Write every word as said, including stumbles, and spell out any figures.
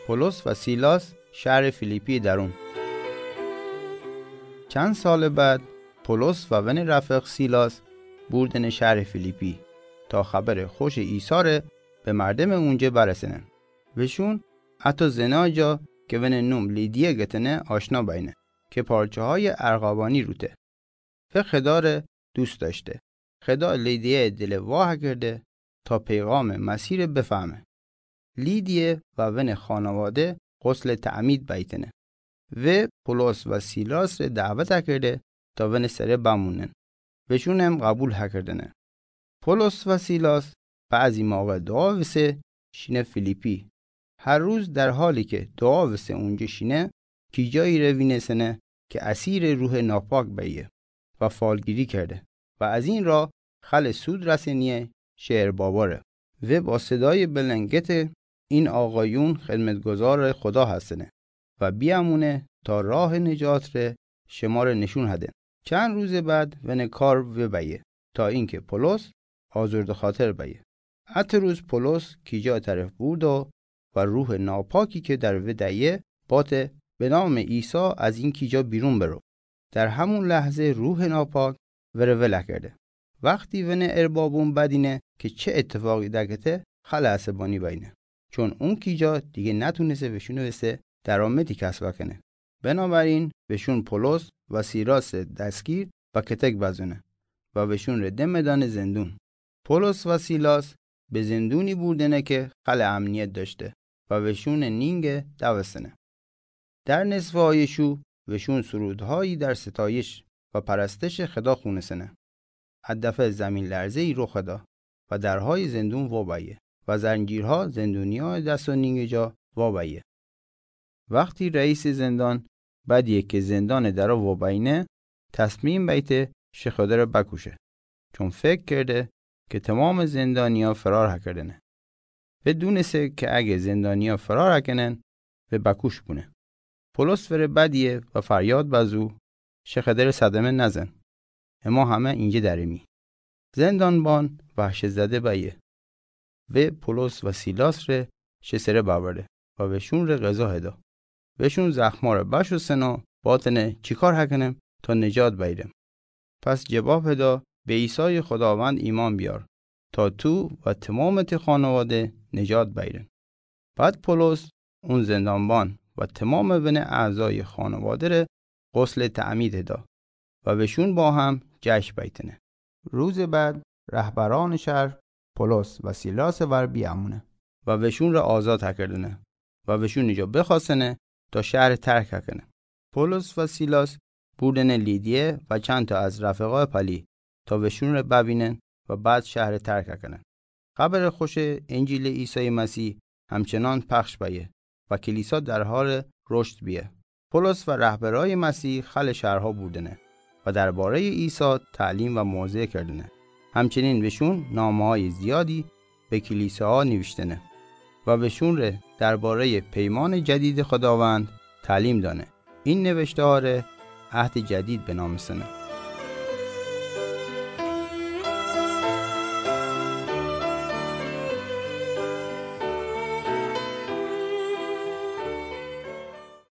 Polos و سیلاس شهر فیلیپی درون. چند سال بعد، پولس و ون رفیق سیلاس بردن شهر فیلیپی تا خبر خوش عیسی ره به مردم اونجا برسنن. وشون حتی زنای جا که ون نوم لیدیه گتنه آشنا بینه که پارچه‌های ارغوانی روته و خدا ره دوست داشته. خدا لیدیه دل واه کرده تا پیغام مسیح ره بفهمه. لیدیه و ون خانواده غسل تعمید بیتنه و پولس و سیلاس ره دعوت کرده تا ون سره بمونن. وشون هم قبول هکردنه. پولس و سیلاس بعضی موقع دعا وسه شینه فیلیپی. هر روز در حالی که دعا وسه اونجا شینه، کیجایی ره وینسنه که اسیر روح ناپاک بیه و فالگیری کرده و از این راه خل سود رسنیه شهر بابا ره. و با صدای بلند گته: این آقایون خدمتگزار خدا هستنه و بیامونه تا راه نجات ره شما ره نشون هدن. چند روز بعد ون کار وبیه تا اینکه پولس آزرده خاطر بیه. ات روز پولس کیجا طرف بردو و روح ناپاکی که در وی دیه باته: به نام عیسی از این کیجا بیرون برو. در همون لحظه روح ناپاک وره ول کرده. وقتی ون اربابون بدینه که چه اتفاقی دکته، خل عصبانی بینه، چون اون کیجا دیگه نتونسه وشون وسه درآمدی کسب کنه. بنابراین وشون پولس و سیلاس دستگیر و کتک بزونه و وشون ره دم دانه زندون. پولس و سیلاس به زندونی بردنه که خل امنیت داشته و وشون نینگه دوستنه. در نصف های شو وشون سرودهایی در ستایش و پرستش خدا خونسنه. ا دفعه زمین لرزه‌ای رخ دا و درهای زندون وابیه و زنجیرها زندونیا دست و نینگ جا وابیه. وقتی رئیس زندان بدیه که زندان درا وابینه، تصمیم بیته شخودره بکشه، چون فکر کرده که تمام زندانیا فرار هکردنه. و دونسه که اگه زندانیا فرار هکنن، و بکوش بونه. پولس وره بدیه و فریاد بزو: شخودره صدمه نزن. اما همه اینجا درمی. زندانبان وحشت زده بیه و پولس و سیلاس ره شسره ببره و وشون ره غذا هدا. وشون زخما ره بشوسن و باتنه: چیکار هکنم تا نجات بیرم؟ پس جواب هدا: به عیسی خداوند ایمان بیار تا تو و تمام تی خانواده نجات بیرن. بعد پولس، اون زندانبان و تمام ون اعضای خانواده ره غسل تعمید هدا و وشون با هم جشن بیتنه. روز بعد رهبران شهر پولس و سیلاس ور بیامونه و وشون ره آزاد هکردنه و وشون جا بخواستنه تا شهر ترک هکنه. پولس و سیلاس بردنه لیدیه و چند تا از رفقای پلی تا وشون ره ببینن و بعد شهر ترک هکنن. خبر خوش انجیل عیسی مسیح همچنان پخش بیه و کلیسا در حال رشد بیه. پولس و رهبرای مسیح خل شهرها بردنه و درباره عیسی تعلیم و موعظه کردنه. همچنین وشون نامه‌های زیادی به کلیساها نوشتنه و وشون ره درباره پیمان جدید خداوند تعلیم دانه. این نوشته‌ها ره عهد جدید بنامستنه.